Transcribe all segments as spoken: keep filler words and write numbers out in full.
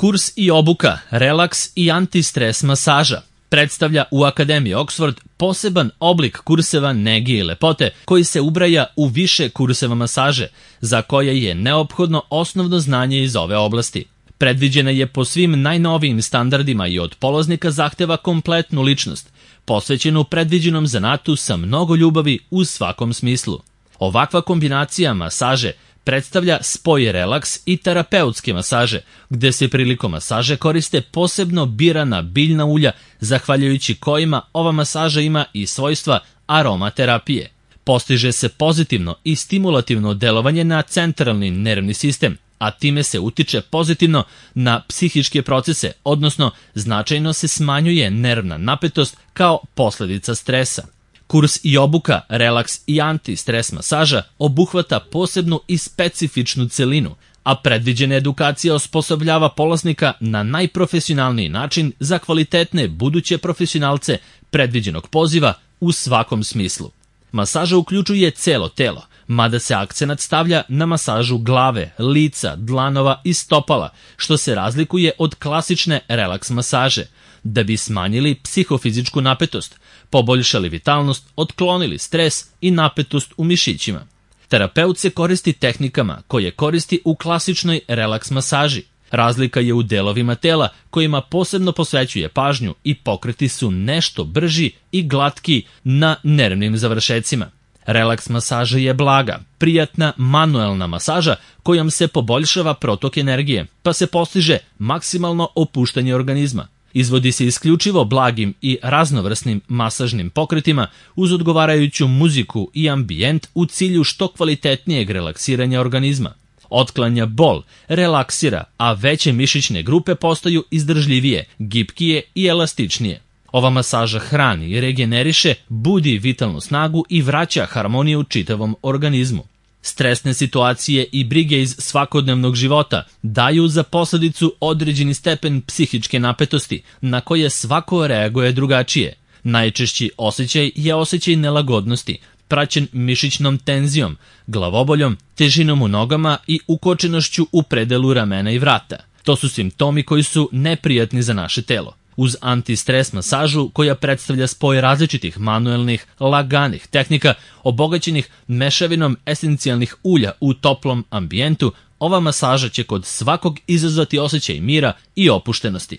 Kurs i obuka, relaks i antistres masaža predstavlja u Akademiji Oxford poseban oblik kurseva nege i lepote koji se ubraja u više kurseva masaže, za koje je neophodno osnovno znanje iz ove oblasti. Predviđena je po svim najnovijim standardima i od polaznika zahteva kompletnu ličnost, posvećenu predviđenom zanatu sa mnogo ljubavi u svakom smislu. Ovakva kombinacija masaže predstavlja spoj relaks i terapeutske masaže, gde se prilikom masaže koriste posebno birana biljna ulja, zahvaljujući kojima ova masaža ima i svojstva aromaterapije. Postiže se pozitivno i stimulativno delovanje na centralni nervni sistem, a time se utiče pozitivno na psihičke procese, odnosno značajno se smanjuje nervna napetost kao posledica stresa. Kurs i obuka, relaks i antistres masaža obuhvata posebnu i specifičnu celinu, a predviđena edukacija osposobljava polaznika na najprofesionalniji način za kvalitetne buduće profesionalce predviđenog poziva u svakom smislu. Masaža uključuje celo telo, mada se akcenat stavlja na masažu glave, lica, dlanova i stopala, što se razlikuje od klasične relaks masaže, da bi smanjili psihofizičku napetost, poboljšali vitalnost, otklonili stres i napetost u mišićima. Terapeut se koristi tehnikama koje koristi u klasičnoj relaks masaži. Razlika je u delovima tela kojima posebno posvećuje pažnju i pokreti su nešto brži i glatki na nervnim završecima. Relaks masaža je blaga, prijatna manuelna masaža kojom se poboljšava protok energije, pa se postiže maksimalno opuštanje organizma. Izvodi se isključivo blagim i raznovrsnim masažnim pokretima uz odgovarajuću muziku i ambijent u cilju što kvalitetnijeg relaksiranja organizma. Otklanja bol, relaksira, a veće mišićne grupe postaju izdržljivije, gibkije i elastičnije. Ova masaža hrani, regeneriše, budi vitalnu snagu i vraća harmoniju čitavom organizmu. Stresne situacije i brige iz svakodnevnog života daju za posledicu određeni stepen psihičke napetosti, na koje svako reaguje drugačije. Najčešći osjećaj je osjećaj nelagodnosti, praćen mišićnom tenzijom, glavoboljom, težinom u nogama i ukočenošću u predelu ramena i vrata. To su simptomi koji su neprijatni za naše telo. Uz antistres masažu, koja predstavlja spoj različitih manuelnih, laganih tehnika, obogaćenih mešavinom esencijalnih ulja u toplom ambijentu, ova masaža će kod svakog izazvati osjećaj mira i opuštenosti.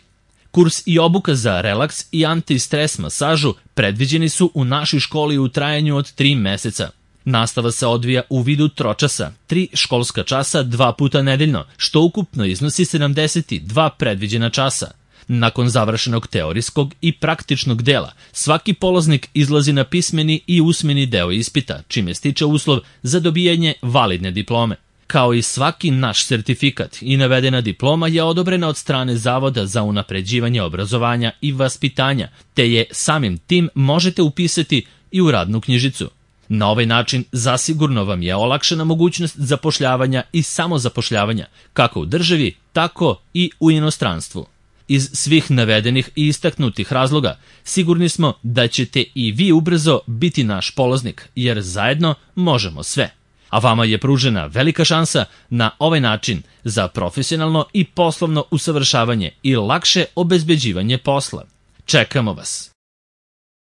Kurs i obuka za relaks i antistres masažu predviđeni su u našoj školi u trajanju od tri meseca. Nastava se odvija u vidu tročasa, tri školska časa dva puta nedeljno, što ukupno iznosi sedamdeset dva predviđena časa. Nakon završenog teorijskog i praktičnog dela, svaki polaznik izlazi na pismeni i usmeni deo ispita, čime stiče uslov za dobijanje validne diplome. Kao i svaki naš sertifikat i navedena diploma je odobrena od strane Zavoda za unapređivanje obrazovanja i vaspitanja, te je samim tim možete upisati i u radnu knjižicu. Na ovaj način zasigurno vam je olakšana mogućnost zapošljavanja i samozapošljavanja, kako u državi, tako i u inostranstvu. Iz svih navedenih i istaknutih razloga, sigurni smo da ćete i vi ubrzo biti naš polaznik, jer zajedno možemo sve. A vama je pružena velika šansa na ovaj način za profesionalno i poslovno usavršavanje i lakše obezbeđivanje posla. Čekamo vas!